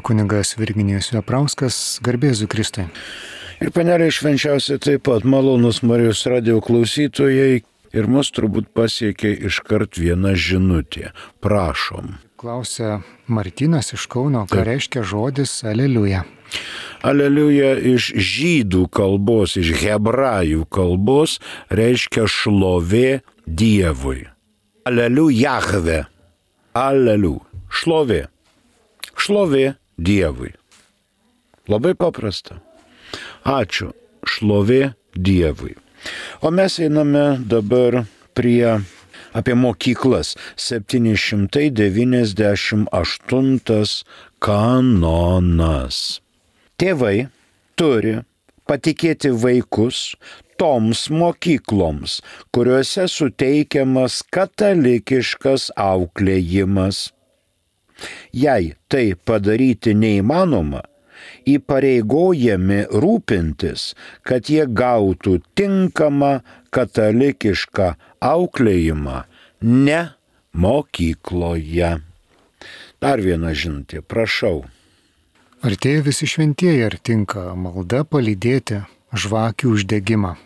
Kunigas Virginijus Veprauskas, garbėzu Kristui. Ir panelė švenčiausia taip pat malonus Marijos radijo klausytojai ir mus turbūt pasiekė iškart viena žinutė. Prašom. Klausia Martynas iš Kauno, ką reiškia žodis aleliuja. Aleliuja iš žydų kalbos, iš hebrajų kalbos reiškia šlovė Dievui. Aleliu Jahve. Aleliu. Šlovė. Šlovė Dievui. Labai paprasta. Ačiū. Šlovė Dievui. O mes einame dabar apie mokyklas. 798 kanonas. Tėvai turi patikėti vaikus toms mokykloms, kuriuose suteikiamas katalikiškas auklėjimas. Jei tai padaryti neįmanoma, įpareigojami rūpintis, kad jie gautų tinkamą katalikišką auklėjimą ne mokykloje. Dar viena žinutė, prašau. Artėja visi šventieji, ar tinka malda palydėti žvakių uždegimą?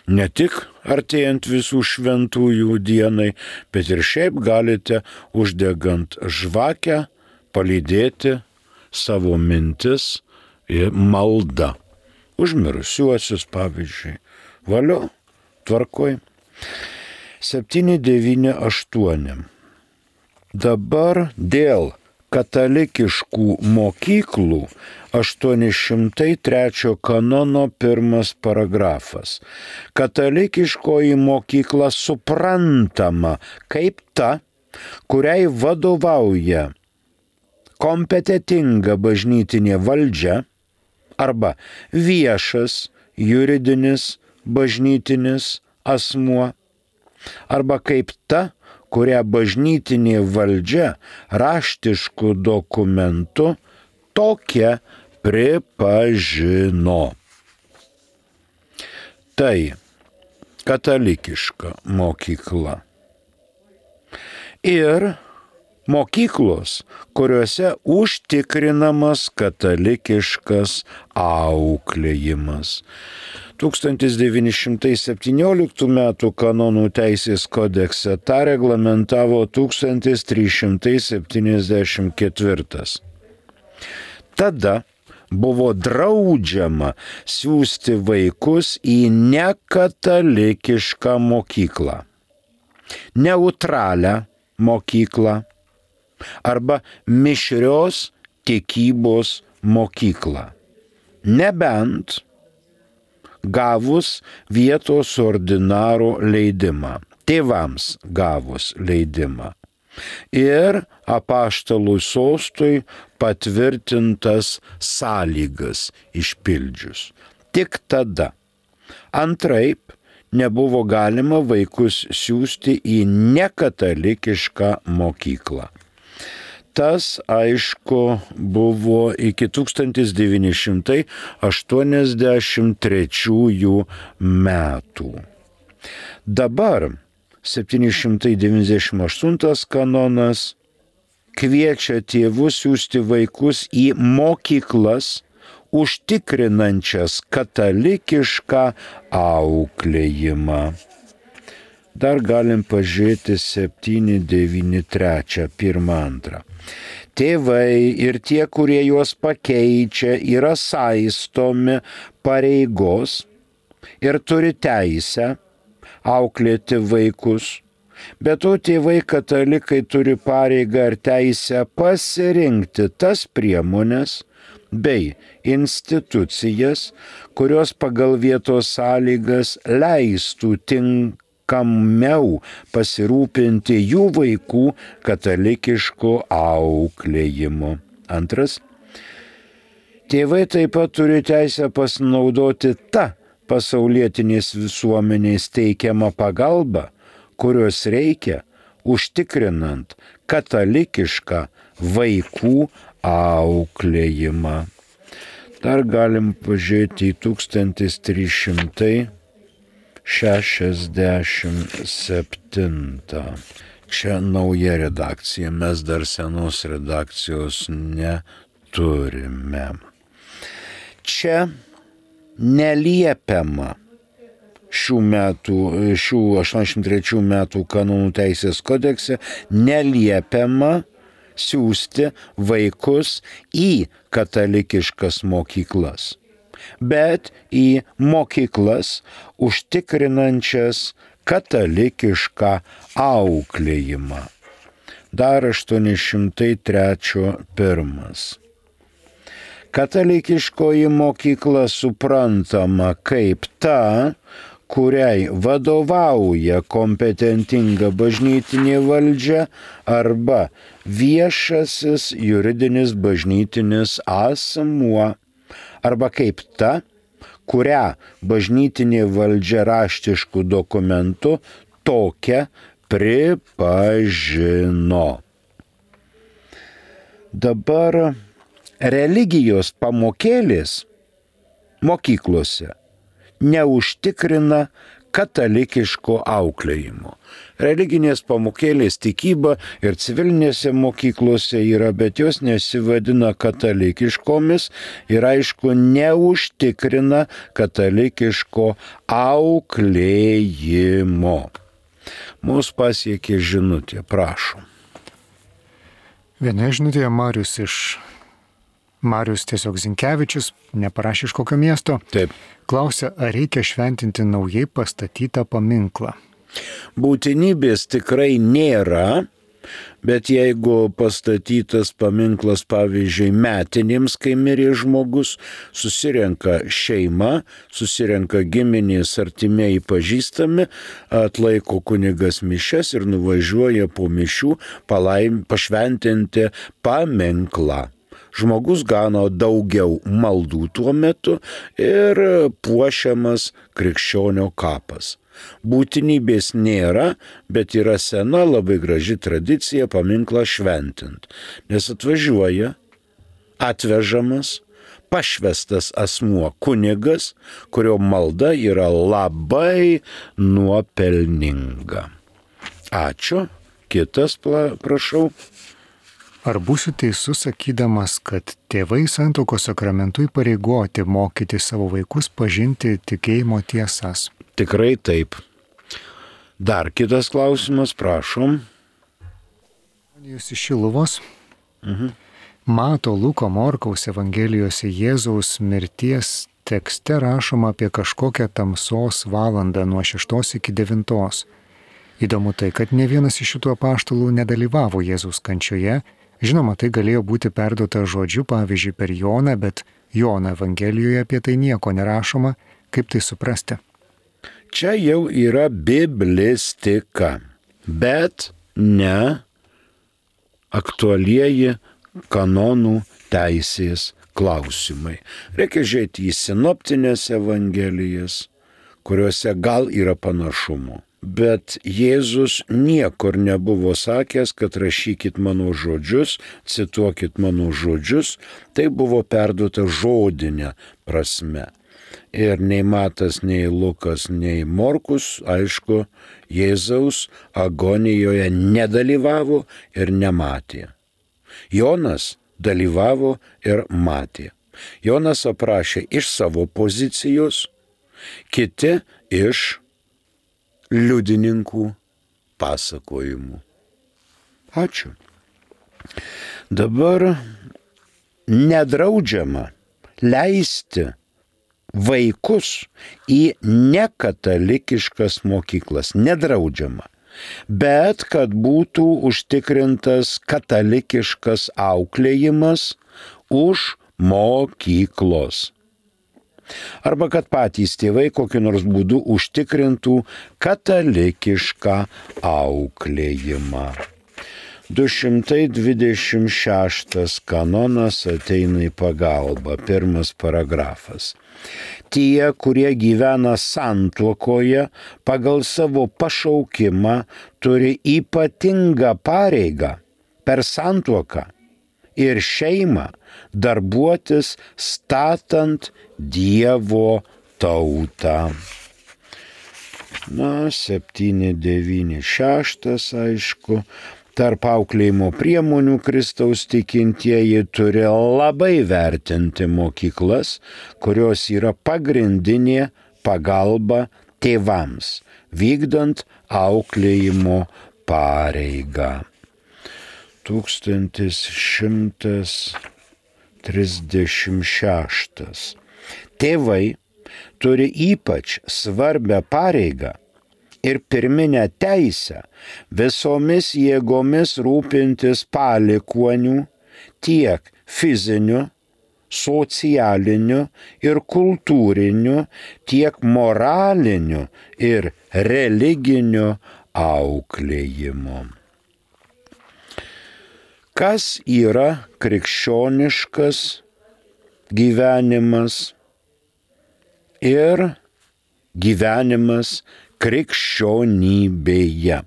Ne tik artėjant visų šventųjų dienai, bet ir šiaip galite uždegant žvakę palydėti savo mintis ir maldą. Užmirusiuosius, pavyzdžiui. Valio, tvarkoj. 798. Dabar dėl katalikiškų mokyklų 803 kanono 1 paragrafas. Katalikiškoji mokykla suprantama kaip ta, kuriai vadovauja kompetitinga bažnytinė valdžia arba viešas juridinis bažnytinis asmuo, arba kaip ta, kurią bažnytinė valdžia raštišku dokumentu tokia pripažino. Tai katalikiška mokykla. Ir mokyklos, kuriuose užtikrinamas katalikiškas auklėjimas. 1917 m. kanonų teisės kodekse tą reglamentavo 1374. Tada buvo draudžiama siųsti vaikus į nekatalikišką mokyklą, neutralią mokyklą arba mišrios tikybos mokyklą, nebent gavus vietos ordinaro leidimą, tėvams gavus leidimą ir apaštalų sostui patvirtintas sąlygas išpildžius. Tik tada. Antraip nebuvo galima vaikus siųsti į nekatalikišką mokyklą. Tas, aišku, buvo iki 1983 metų. Dabar 798 kanonas kviečia tėvus siųsti vaikus į mokyklas, užtikrinančias katalikišką auklėjimą. Dar galim pažiūrėti 793, 1-2. Tėvai ir tie, kurie juos pakeičia, yra saistomi pareigos ir turi teisę auklėti vaikus. Be to tėvai katalikai turi pareigą ir teisę pasirinkti tas priemones bei institucijas, kurios pagal vietos sąlygas leistų tinkamiau pasirūpinti jų vaikų katalikišku auklėjimu. Antras. Tėvai taip pat turi teisę pasinaudoti tą pasaulietinės visuomenės teikiamą pagalbą, kurios reikia užtikrinant katalikišką vaikų auklėjimą. Dar galim pažiūrėti į 1367. Čia nauja redakcija, mes dar senos redakcijos neturime. turime. Čia neliepiama šių 83 metų kanonų teisės kodekse neliepiama siųsti vaikus į katalikiškas mokyklas, bet į mokyklas užtikrinančias katalikišką auklėjimą. Dar 803.1. Katalikiškoji mokykla suprantama kaip ta, kuriai vadovauja kompetentinga bažnytinė valdžia arba viešasis juridinis bažnytinis asmuo, arba kaip ta, kurią bažnytinė valdžia raštiškų dokumentų tokią pripažino. Dabar religijos pamokėlės mokyklose neužtikrina katalikiško auklėjimo. Religinės pamokėlės tikyba ir civilinėse mokyklose yra, bet jos nesivadina katalikiškomis ir aišku neužtikrina katalikiško auklėjimo. Mūsų pasiekė žinutė, prašom. Viena žinutė Marius tiesiog Zinkevičius, neparašė iš kokio miesto. Taip. Klausia, ar reikia šventinti naujai pastatytą paminklą. Būtinybės tikrai nėra, bet jeigu pastatytas paminklas, pavyzdžiui, metinėms, kai mirė žmogus, susirenka šeima, susirenka giminės, artimieji pažįstami, atlaiko kunigas mišias ir nuvažiuoja po mišių pašventinti paminklą. Žmogus gano daugiau maldų tuo metu ir puošiamas krikščionio kapas. Būtinybės nėra, bet yra sena labai graži tradicija paminklą šventint, nes atvežamas, pašvestas asmuo kunigas, kurio malda yra labai nuopelninga. Ačiū. Kitas, prašau. Ar būsiu teisus sakydamas, kad tėvai santuokos sakramentu įpareigoti mokyti savo vaikus pažinti tikėjimo tiesas? Tikrai taip. Dar kitas klausimas, prašom. Jūs iš Šiluvos. Mato Luko Morkaus Evangelijose Jėzaus mirties tekste rašoma apie kažkokią tamsos valandą nuo 6 iki 9. Įdomu tai, kad ne vienas iš šitų apaštalų nedalyvavo Jėzaus kančioje. Žinoma, tai galėjo būti perduota žodžiu, pavyzdžiui, per Joną, bet Jono Evangelijoje apie tai nieko nerašoma. Kaip tai suprasti? Čia jau yra biblistika, bet ne aktualieji kanonų teisės klausimai. Reikia žiūrėti į sinoptinės evangelijas, kuriuose gal yra panašumų. Bet Jėzus niekur nebuvo sakęs, kad rašykit mano žodžius, cituokit mano žodžius, tai buvo perduota žodinė prasme. Ir nei Matas, nei Lukas, nei Morkus, aišku, Jėzaus agonijoje nedalyvavo ir nematė. Jonas dalyvavo ir matė. Jonas aprašė iš savo pozicijos, kiti iš liudininkų pasakojimų. Ačiū. Dabar nedraudžiama leisti vaikus į nekatalikiškas mokyklas. Nedraudžiama. Bet kad būtų užtikrintas katalikiškas auklėjimas už mokyklos. Arba kad patys tėvai kokiu nors būdu užtikrintų katalikišką auklėjimą. 226 kanonas ateina į pagalbą. Pirmas paragrafas. Tie, kurie gyvena santuokoje, pagal savo pašaukimą turi ypatingą pareigą per santuoką ir šeimą darbuotis statant Dievo tautą. 796, aišku. Tarp auklėjimo priemonių Kristaus tikintieji turi labai vertinti mokyklas, kurios yra pagrindinė pagalba tėvams, vykdant auklėjimo pareigą. 1136. Tėvai turi ypač svarbią pareigą ir pirminę teisę visomis jėgomis rūpintis palikuonių tiek fiziniu, socialiniu ir kultūriniu, tiek moraliniu ir religiniu auklėjimu. Kas yra krikščioniškas gyvenimas ir gyvenimas krikščionybėje?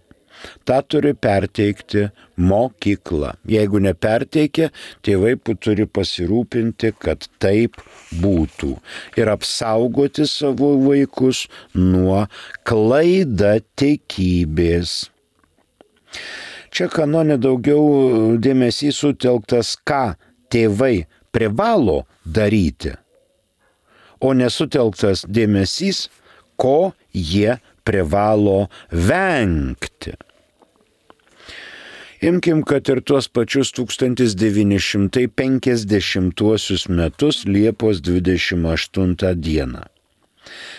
Ta turi perteikti mokykla. Jeigu neperteikia, tėvai turi pasirūpinti, kad taip būtų ir apsaugoti savo vaikus nuo klaidatikybės. Čia kanone daugiau dėmesys sutelktas, ką tėvai privalo daryti, o nesutelktas dėmesys, ko jie privalo vengti. Imkim, kad ir tuos pačius 1950 metus Liepos 28 dieną.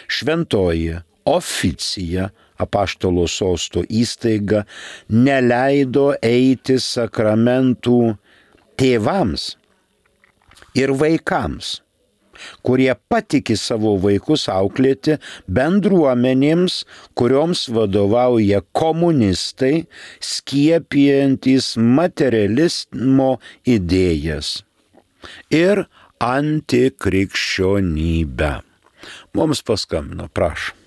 Šventoji oficija, Apaštalo sosto įstaiga, neleido eiti sakramentų tėvams ir vaikams, kurie patiki savo vaikus auklėti bendruomenėms, kurioms vadovauja komunistai, skiepijantys materializmo idėjas ir antikrikščionybę. Mums paskambino, prašom.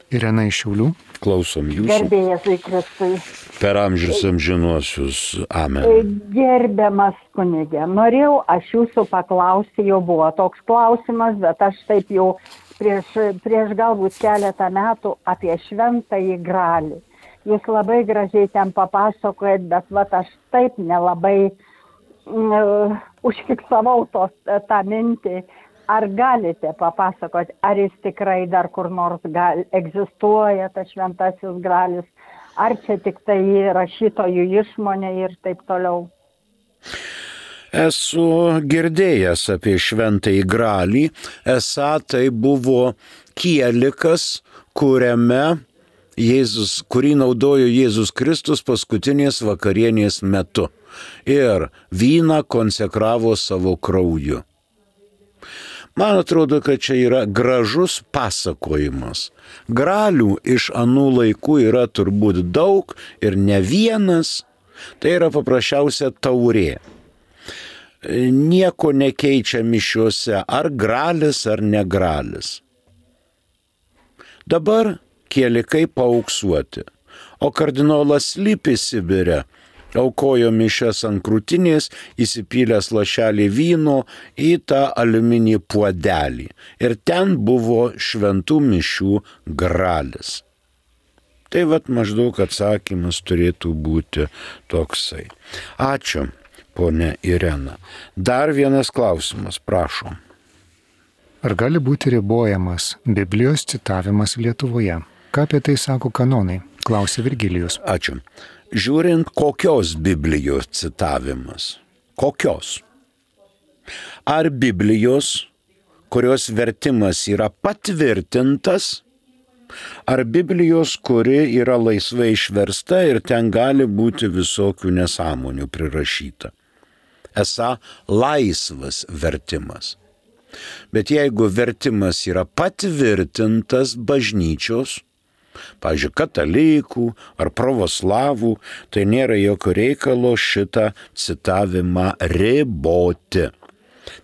Irena iš Šiaulių. Klausom jūsų. Gerbėjas Kristui. Per amžius amžinuosius. Amen. Gerbiamas kunigė, norėjau aš jūsų paklausti, jau buvo toks klausimas, bet aš taip jau prieš galbūt keletą metų apie Šventąjį Gralį. Jūs labai gražiai ten papasakojat, bet aš taip nelabai užfiksavau tą mintį. Ar galite papasakoti, ar jis tikrai dar kur nors egzistuoja, tas Šventasis Gralis, ar čia tik tai rašytojų išmonė ir taip toliau? Esu girdėjęs apie Šventąjį Gralį, esą tai buvo kielikas, kurį naudojo Jėzus Kristus paskutinės vakarienės metu ir vyną konsekravo savo krauju. Man atrodo, kad čia yra gražus pasakojimas. Gralių iš anų laikų yra turbūt daug ir ne vienas. Tai yra paprasčiausia taurė. Nieko nekeičia mišiuose, ar gralis, ar negralis. Dabar kielikai paauksuoti, o kardinolas Lipis Sibire aukojo mišias ant krūtinės, įsipylęs lašelį vyno į tą aliuminį puodelį. Ir ten buvo šventų mišių gralis. Tai maždaug atsakymas turėtų būti toksai. Ačiū, ponia Irena. Dar vienas klausimas, prašom. Ar gali būti ribojamas Biblijos citavimas Lietuvoje? Ką apie tai sako kanonai? Klausė Virgilijus. Ačiū. Žiūrint, kokios Biblijos citavimas. Kokios? Ar Biblijos, kurios vertimas yra patvirtintas, ar Biblijos, kuri yra laisvai išversta ir ten gali būti visokių nesąmonių prirašyta. Esą laisvas vertimas. Bet jeigu vertimas yra patvirtintas bažnyčios, pavyzdžiui, katalikų ar pravoslavų, tai nėra jokio reikalo šitą citavimą riboti.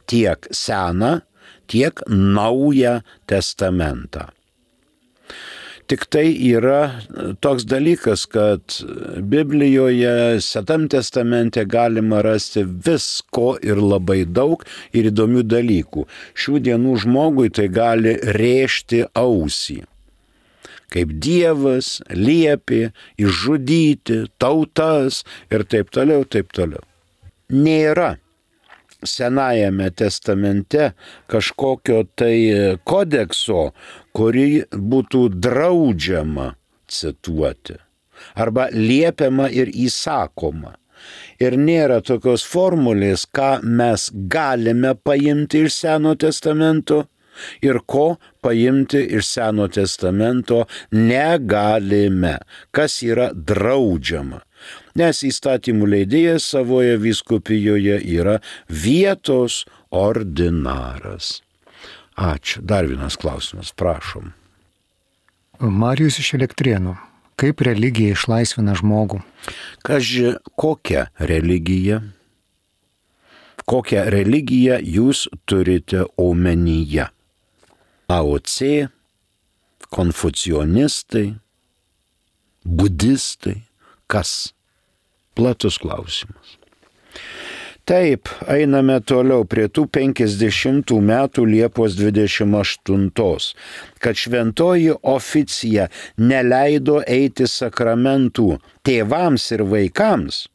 Tiek seną, tiek naują testamentą. Tik tai yra toks dalykas, kad Biblijoje, Senam testamente galima rasti visko ir labai daug ir įdomių dalykų. Šių dienų žmogui tai gali rėžti ausį. kaip Dievas liepė išžudyti tautas ir taip toliau, taip toliau. Nėra Senajame testamente kažkokio tai kodekso, kurį būtų draudžiama cituoti arba liepiama ir įsakoma. Ir nėra tokios formulės, ką mes galime paimti iš Seno testamento ir ko paimti iš Seno testamento negalime, kas yra draudžiama. Nes įstatymų leidėjas savoje vyskupijoje yra vietos ordinaras. Ačiū. Dar vienas klausimas, prašom. Marijus iš Elektrėnų. Kaip religija išlaisvina žmogų? Kaži, kokią religiją? Kokią religiją jūs turite omenyje? AOC, konfucionistai, budistai, kas? Platus klausimas. Taip, einame toliau prie tų 50 metų Liepos 28, kad šventoji oficija neleido eiti sakramentų tėvams ir vaikams,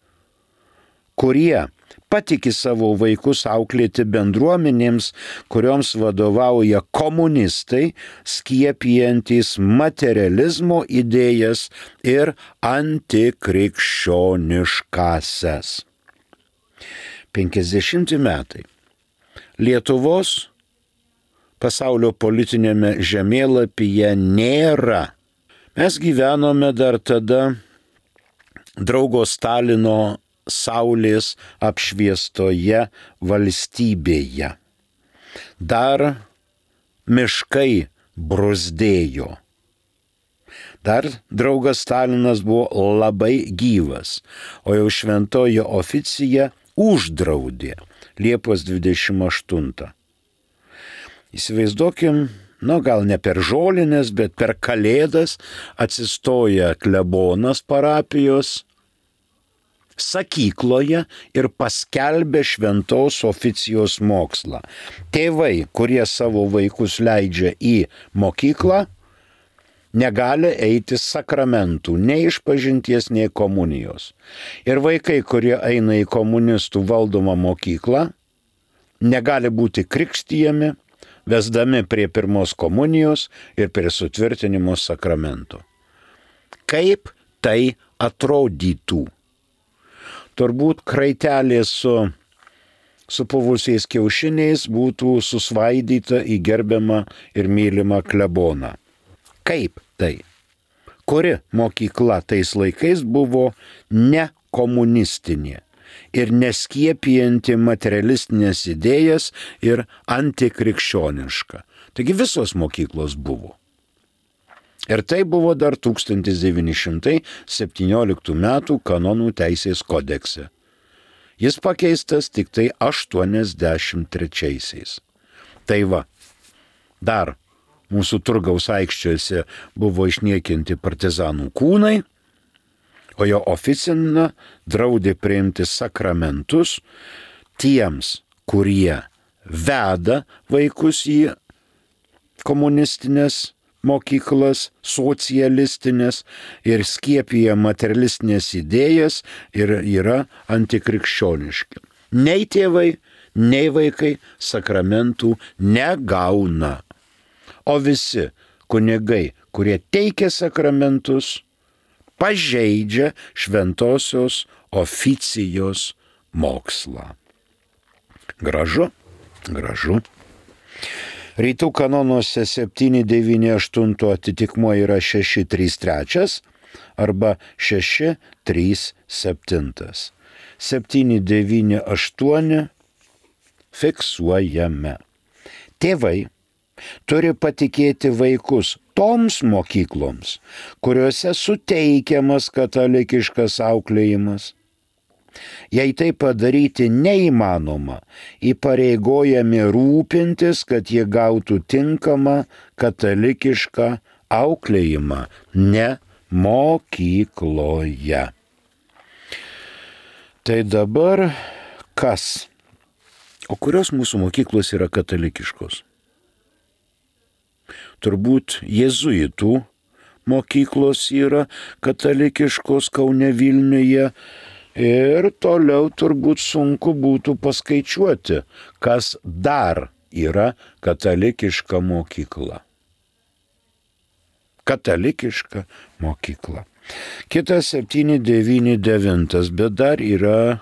kurie patiki savo vaikus auklėti bendruomenėms, kurioms vadovauja komunistai, skiepijantys materializmo idėjas ir antikrikščioniškasias. 50 metai. Lietuvos pasaulio politinėme žemėlapyje nėra. Mes gyvenome dar tada draugo Stalino saulės apšviestoje valstybėje. Dar miškai bruzdėjo. Dar draugas Stalinas buvo labai gyvas, o jau šventoji oficija uždraudė Liepos 28. Įsivaizduokim, gal ne per žolinės, bet per Kalėdas atsistoja klebonas parapijos sakykloje ir paskelbė šventos oficijos mokslą. Tėvai, kurie savo vaikus leidžia į mokyklą, negali eiti sakramentų, nei išpažinties, nei komunijos. Ir vaikai, kurie eina į komunistų valdomą mokyklą, negali būti krikštijami, vesdami prie pirmos komunijos ir prie sutvirtinimo sakramento. Kaip tai atrodytų? Turbūt kraitelė su puvusiais kiaušiniais būtų susvaidyta į gerbiamą ir mylimą kleboną. Kaip tai? Kuri mokykla tais laikais buvo nekomunistinė ir neskiepijanti materialistinės idėjas ir antikrikščioniška. Taigi visos mokyklos buvo. Ir tai buvo dar 1917 metų kanonų teisės kodekse. Jis pakeistas tik tai 83. Tai va, dar mūsų Turgaus aikščiuose buvo išniekinti partizanų kūnai, o jo oficina draudė priimti sakramentus tiems, kurie veda vaikus į komunistinės mokyklas, socialistinės ir skiepija materialistinės idėjas ir yra antikrikščioniški. Nei tėvai, nei vaikai sakramentų negauna. O visi kunigai, kurie teikia sakramentus, pažeidžia šventosios oficijos mokslą. Gražu, gražu. Rytų kanonuose 798 atitikmuo yra 633 arba 637. 798 fiksuojame. Tėvai turi patikėti vaikus toms mokykloms, kuriuose suteikiamas katalikiškas auklėjimas. Jei tai padaryti neįmanoma, įpareigojami rūpintis, kad jie gautų tinkamą katalikišką auklėjimą ne mokykloje. Tai dabar kas? O kurios mūsų mokyklos yra katalikiškos? Turbūt jėzuitų mokyklos yra katalikiškos Kaune, Vilniuje. Ir toliau turbūt sunku būtų paskaičiuoti, kas dar yra katalikiška mokykla. Katalikiška mokykla. Kitas 799, bet dar yra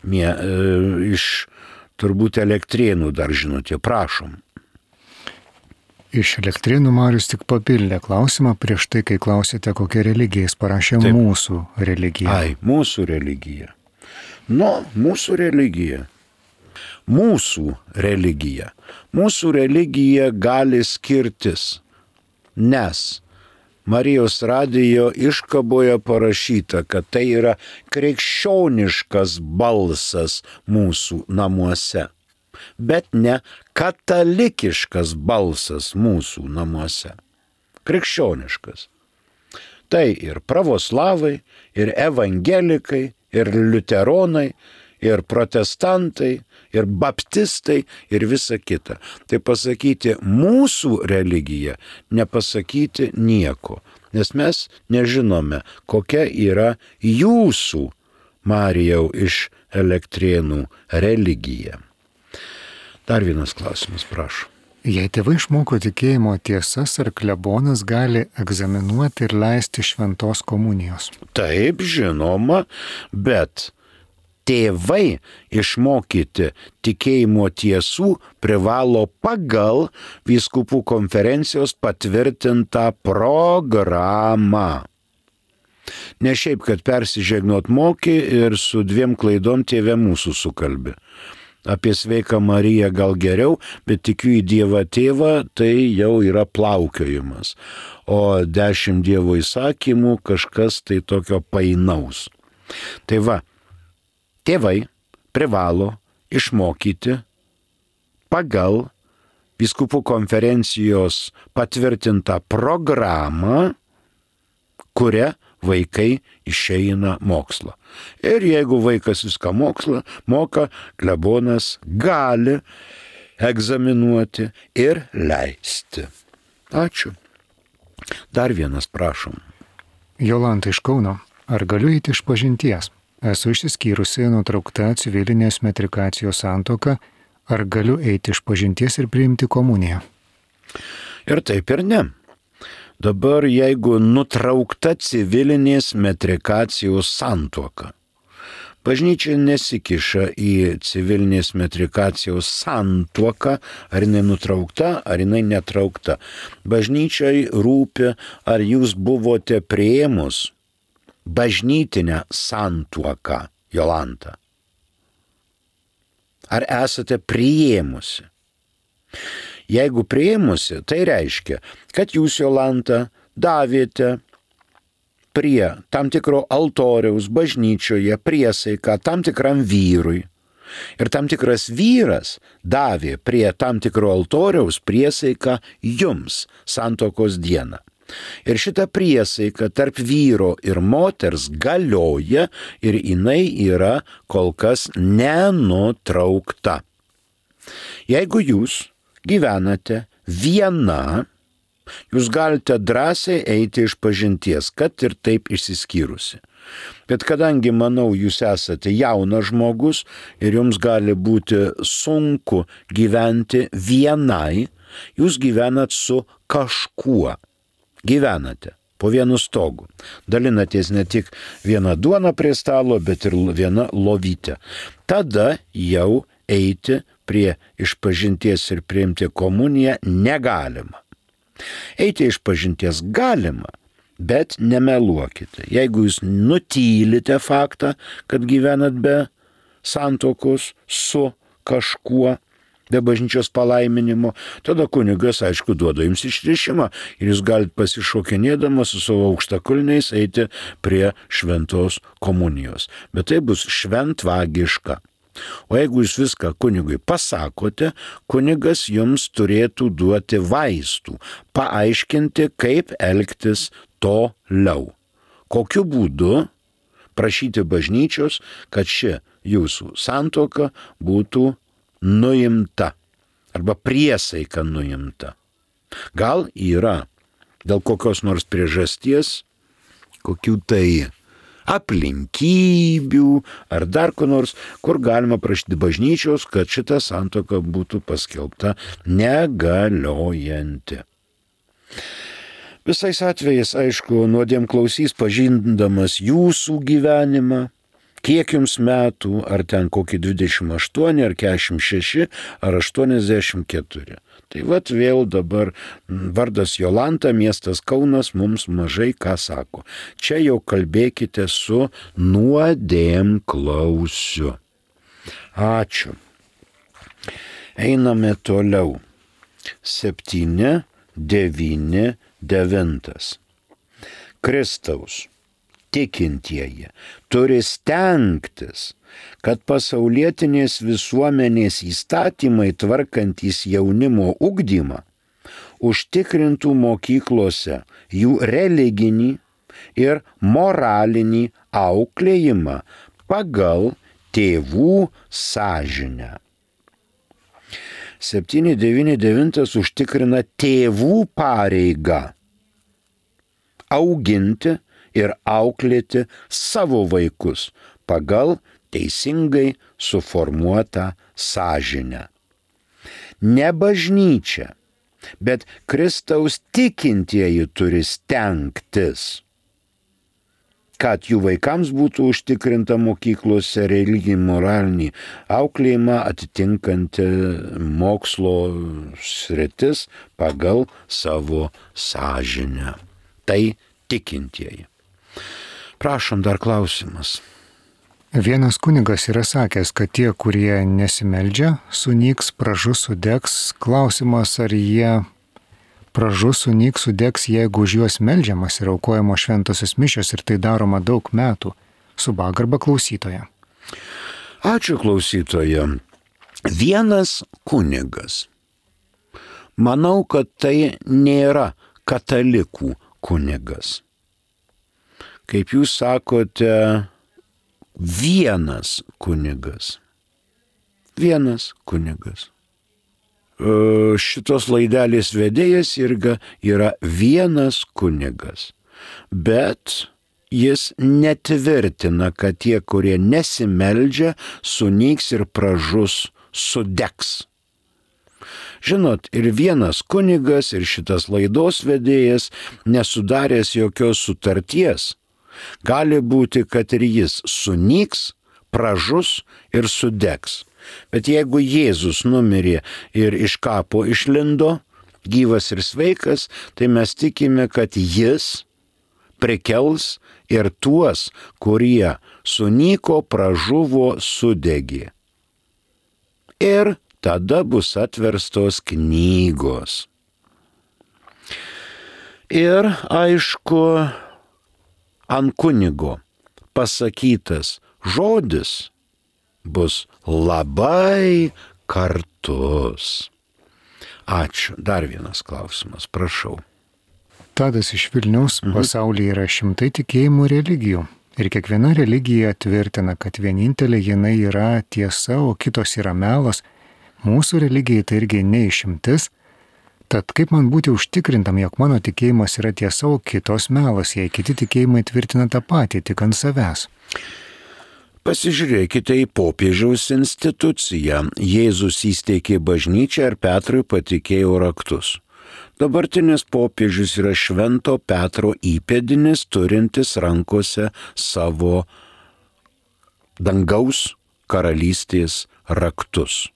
iš turbūt Elektrėnų dar žinutė, prašom. Iš Elektrėnų Marius tik papildė klausimą prieš tai, kai klausėte, kokia religija, jis parašė Taip. Mūsų religija. Ai, mūsų religija. Mūsų religija. Mūsų religija. Mūsų religija gali skirtis, nes Marijos radijo iškaboje parašyta, kad tai yra krikščioniškas balsas mūsų namuose, bet ne katalikiškas balsas mūsų namuose. Krikščioniškas. Tai ir pravoslavai, ir evangelikai, ir liuteronai, ir protestantai, ir baptistai, ir visa kita. Tai pasakyti mūsų religija, nepasakyti nieko, nes mes nežinome, kokia yra jūsų, Marijau, iš Elektrėnų religija. Dar vienas klausimas, prašau. Jei tėvai išmoko tikėjimo tiesas, ar klebonas gali egzaminuoti ir leisti šventos komunijos? Taip, žinoma, bet tėvai išmokyti tikėjimo tiesų privalo pagal vyskupų konferencijos patvirtintą programą. Ne šiaip, kad persižegnot moki ir su 2 klaidom tėvė mūsų sukalbi. Apie sveiką Mariją gal geriau, bet tikiu į Dievą tėvą, tai jau yra plaukiojimas. O 10 Dievo įsakymų kažkas tai tokio painaus. Tai va, tėvai privalo išmokyti pagal vyskupų konferencijos patvirtintą programą, kuria vaikai išeina mokslą. Ir jeigu vaikas viską moka, klebonas gali egzaminuoti ir leisti. Ačiū. Dar vienas, prašom. Jolanta iš Kauno. Ar galiu eiti iš pažinties? Esu išsiskyrusi, nutraukta civilinės metrikacijos santuoka. Ar galiu eiti iš pažinties ir priimti komuniją? Ir taip ir ne. Dabar jeigu nutraukta civilinės metrikacijos santuoka, bažnyčia nesikiša į civilinės metrikacijos santuoką, ar jinai nutraukta, ar jinai netraukta. Bažnyčiai rūpi, ar jūs buvote priėmus bažnytinę santuoką, Jolanta. Ar esate priėmusi? Jeigu priėmusi, tai reiškia, kad jūs, Jolanta, davėte prie tam tikro altoriaus bažnyčioje priesaiką tam tikram vyrui. Ir tam tikras vyras davė prie tam tikro altoriaus priesaiką jums santuokos dieną. Ir šita priesaika tarp vyro ir moters galioja ir jinai yra kol kas nenutraukta. Jeigu jūs gyvenate viena, jūs galite drąsiai eiti iš pažinties, kad ir taip išsiskyrusi. Bet kadangi, manau, jūs esate jaunas žmogus ir jums gali būti sunku gyventi vienai, jūs gyvenat su kažkuo. Gyvenate po vienu stogu. Dalinatės ne tik vieną duoną prie stalo, bet ir vieną lovytę. Tada jau eiti prie išpažinties ir priimti komuniją negalima. Eiti išpažinties galima, bet nemeluokite. Jeigu jūs nutylite faktą, kad gyvenat be santuokos su kažkuo, be bažnyčios palaiminimo, tada kunigas, aišku, duoda jums išrišimą ir jūs galite pasišokinėdamas su savo aukštakulniais eiti prie šventos komunijos. Bet tai bus šventvagiška. O jeigu jūs viską kunigui pasakote, kunigas jums turėtų duoti vaistų, paaiškinti, kaip elgtis toliau. Kokiu būdu prašyti bažnyčios, kad ši jūsų santuoka būtų nuimta arba priesaika nuimta. Gal yra dėl kokios nors priežasties, kokių tai aplinkybių ar dar ko nors, kur galima prašyti bažnyčios, kad šita santuoka būtų paskelbta negaliojanti. Visais atvejais, aišku, nuodėmklausys pažindamas jūsų gyvenimą, kiek jums metų, ar ten kokį 28, ar 46, ar 84. Tai vat vėl dabar vardas Jolanta, miestas Kaunas mums mažai ką sako. Čia jau kalbėkite su nuodėmklausiu. Ačiū. Einame toliau. 7, 9, 9. Kristaus tikintieji turi stengtis, kad pasaulietinės visuomenės įstatymai tvarkantys jaunimo ugdymą užtikrintų mokyklose jų religinį ir moralinį auklėjimą pagal tėvų sąžinę. 799 užtikrina tėvų pareigą auginti ir auklėti savo vaikus pagal teisingai suformuotą sąžinę. Ne bažnyčia, bet Kristaus tikintieji turi stengtis, kad jų vaikams būtų užtikrinta mokyklose religinį moralinį auklėjimą atitinkanti mokslo sritis pagal savo sąžinę. Tai tikintieji. Prašom, dar klausimas. Vienas kunigas yra sakęs, kad tie, kurie nesimeldžia, sunyks, pražus, sudegs. Klausimas, ar jie pražus, sunyks, sudegs, jeigu už juos meldžiamas ir aukojamo šventosios mišios ir tai daroma daug metų. Su pagarba klausytoja. Ačiū klausytoja. Vienas kunigas. Manau, kad tai nėra katalikų kunigas. Kaip jūs sakote, vienas kunigas. Vienas kunigas. Šitos laidelės vedėjas irgi yra vienas kunigas. Bet jis netvirtina, kad tie, kurie nesimeldžia, sunyks ir pražus, sudegs. Žinot, ir vienas kunigas, ir šitas laidos vedėjas nesudaręs jokios sutarties. Gali būti, kad ir jis sunyks, pražus ir sudegs. Bet jeigu Jėzus numirė ir iš kapo išlindo, gyvas ir sveikas, tai mes tikime, kad jis prikels ir tuos, kurie sunyko, pražuvo, sudegė. Ir tada bus atverstos knygos. Ir aišku, ant kunigo pasakytas žodis bus labai kartus. Ačiū. Dar vienas klausimas, prašau. Tadas iš Vilniaus. Pasaulyje yra šimtai tikėjimų religijų. Ir kiekviena religija tvirtina, kad vienintelė jinai yra tiesa, o kitos yra melas. Mūsų religijai tai irgi neišimtis. Tad kaip man būti užtikrintam, jog mano tikėjimas yra tiesa, o kitos melas, jei kiti tikėjimai tvirtina tą patį, tik ant savęs? Pasižiūrėkite į popiežiaus instituciją. Jėzus įsteigė bažnyčią ir Petrui patikėjo raktus. Dabartinis popiežius yra Švento Petro įpėdinis, turintis rankose savo dangaus karalystės raktus.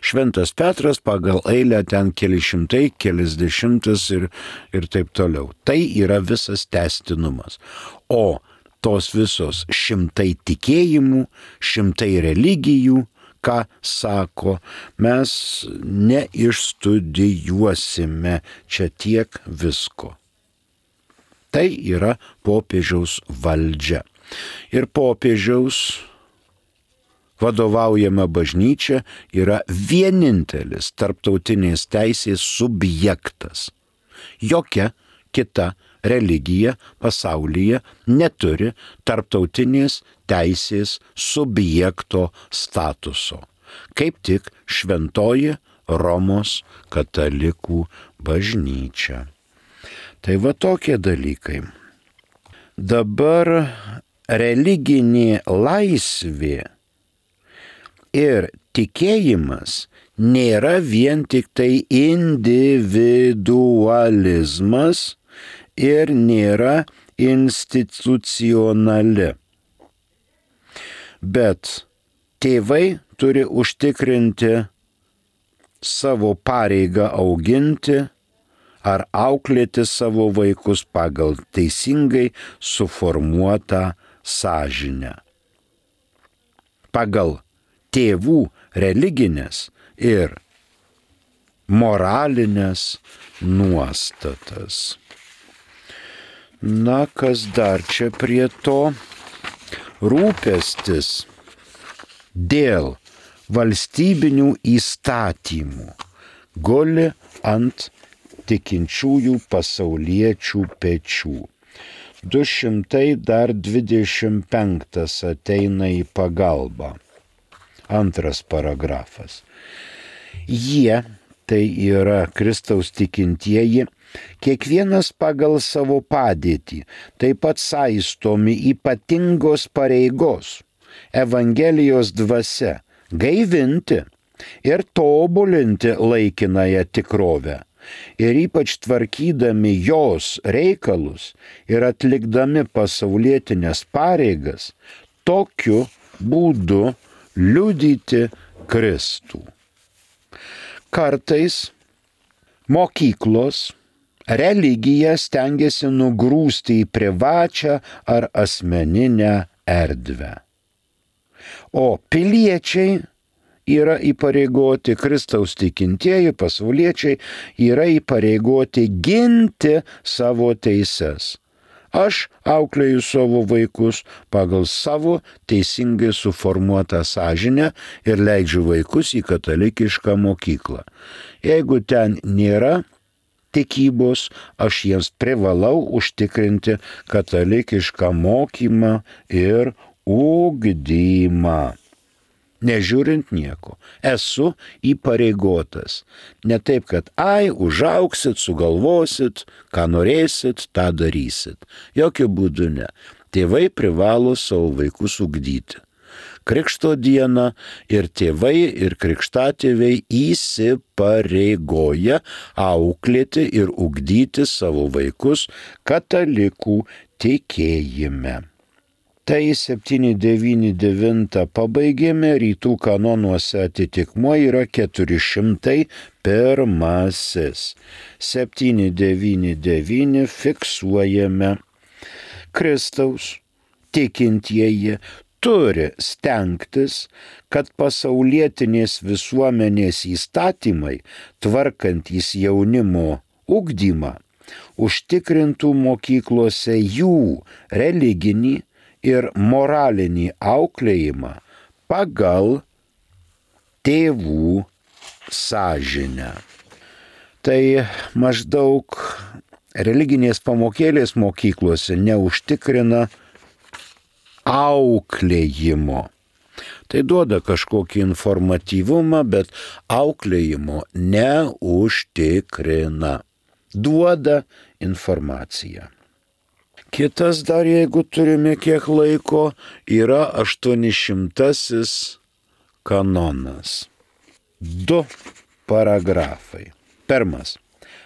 Šventas Petras pagal eilę ten keli šimtai, kelis dešimtas ir taip toliau. Tai yra visas tęstinumas. O tos visos šimtai tikėjimų, šimtai religijų, ką sako, mes neišstudijuosime čia tiek visko. Tai yra popiežiaus valdžia. Ir popiežiaus vadovaujama bažnyčia yra vienintelis tarptautinės teisės subjektas. Jokia kita religija pasaulyje neturi tarptautinės teisės subjekto statuso. Kaip tik Šventoji Romos katalikų bažnyčia. Tai va tokie dalykai. Dabar religinė laisvė ir tikėjimas nėra vien tik tai individualizmas ir nėra institucionali. Bet tėvai turi užtikrinti savo pareigą auginti ar auklėti savo vaikus pagal teisingai suformuotą sąžinę. Pagal tėvų religinės ir moralinės nuostatas. Na, kas dar čia prie to? Rūpestis dėl valstybinių įstatymų guli ant tikinčiųjų pasauliečių pečių. 225 ateina į pagalbą. Antras paragrafas. Jie, tai yra Kristaus tikintieji, kiekvienas pagal savo padėtį, taip pat saistomi ypatingos pareigos, Evangelijos dvasia, gaivinti ir tobulinti laikinąją tikrovę. Ir ypač tvarkydami jos reikalus ir atlikdami pasaulietinės pareigas, tokiu būdu liudyti Kristų. Kartais mokyklos religiją stengiasi nugrūsti į privačią ar asmeninę erdvę. O piliečiai yra įpareigoti, Kristaus tikintieji pasauliečiai yra įpareigoti ginti savo teises. Aš auklėju savo vaikus pagal savo teisingai suformuotą sąžinę ir leidžiu vaikus į katalikišką mokyklą. Jeigu ten nėra tikybos, aš jiems privalau užtikrinti katalikišką mokymą ir ugdymą. Nežiūrint nieko, esu įpareigotas. Ne taip, kad užaugsit, sugalvosit, ką norėsit, tą darysit. Jokiu būdu ne. Tėvai privalo savo vaikus ugdyti. Krikšto dieną ir tėvai, ir krikštatėviai įsipareigoja auklėti ir ugdyti savo vaikus katalikų tikėjime. Tai 799 pabaigėme, rytų kanonuose atitikmuo yra 401. 799 fiksuojame. Kristaus tikintieji turi stengtis, kad pasaulietinės visuomenės įstatymai, tvarkantys jaunimo ugdymą, užtikrintų mokyklose jų religinį ir moralinį auklėjimą pagal tėvų sąžinę. Tai maždaug religinės pamokėlės mokyklose neužtikrina auklėjimo. Tai duoda kažkokį informatyvumą, bet auklėjimo neužtikrina. Duoda informaciją. Kitas dar, jeigu turime kiek laiko, yra 800 kanonas. 2 paragrafai. Pirmas.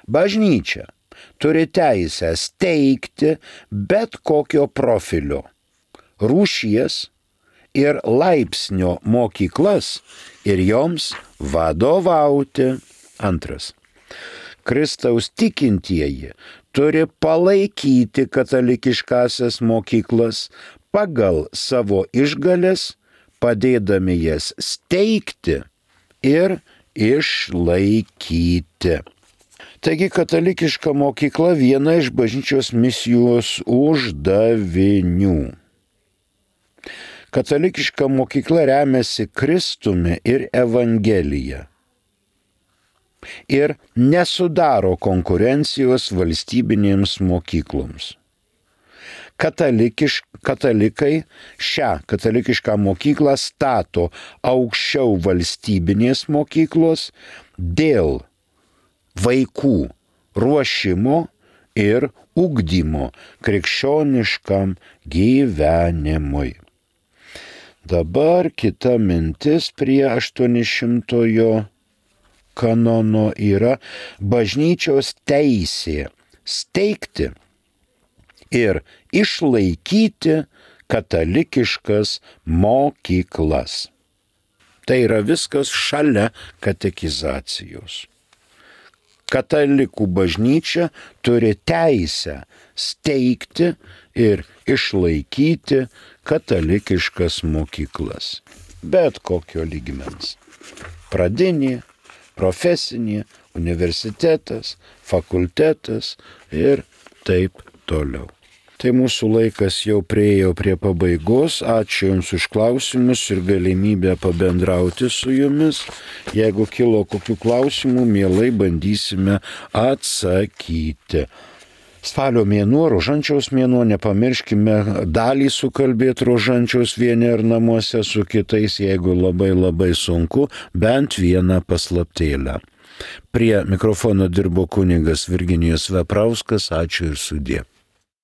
Bažnyčia turi teisę steigti bet kokio profilio, rūšies ir laipsnio mokyklas ir joms vadovauti. Antras. Kristaus tikintieji turi palaikyti katalikiškasias mokyklas pagal savo išgales, padėdami jas steigti ir išlaikyti. Taigi katalikiška mokykla viena iš bažnyčios misijos uždavinių. Katalikiška mokykla remiasi Kristumi ir Evangelija ir nesudaro konkurencijos valstybinėms mokykloms. Katalikai šią katalikišką mokyklą stato aukščiau valstybinės mokyklos dėl vaikų ruošimo ir ugdymo krikščioniškam gyvenimui. Dabar kita mintis prie 800-ojo kanono yra bažnyčios teisė steigti ir išlaikyti katalikiškas mokyklas. Tai yra viskas šalia katekizacijos. Katalikų bažnyčia turi teisę steigti ir išlaikyti katalikiškas mokyklas. Bet kokio lygmens. Pradinė, profesinė, universitetas, fakultetas ir taip toliau. Tai mūsų laikas jau priėjo prie pabaigos. Ačiū Jums už klausimus ir galimybę pabendrauti su Jumis. Jeigu kilo kokių klausimų, mielai bandysime atsakyti. Spalio mėnuo, rožančiaus mėnuo, nepamirškime dalį sukalbėti rožančiaus vieni ar namuose su kitais, jeigu labai sunku, bent vieną paslaptėlę. Prie mikrofono dirbo kunigas Virginijus Veprauskas. Ačiū ir sudie.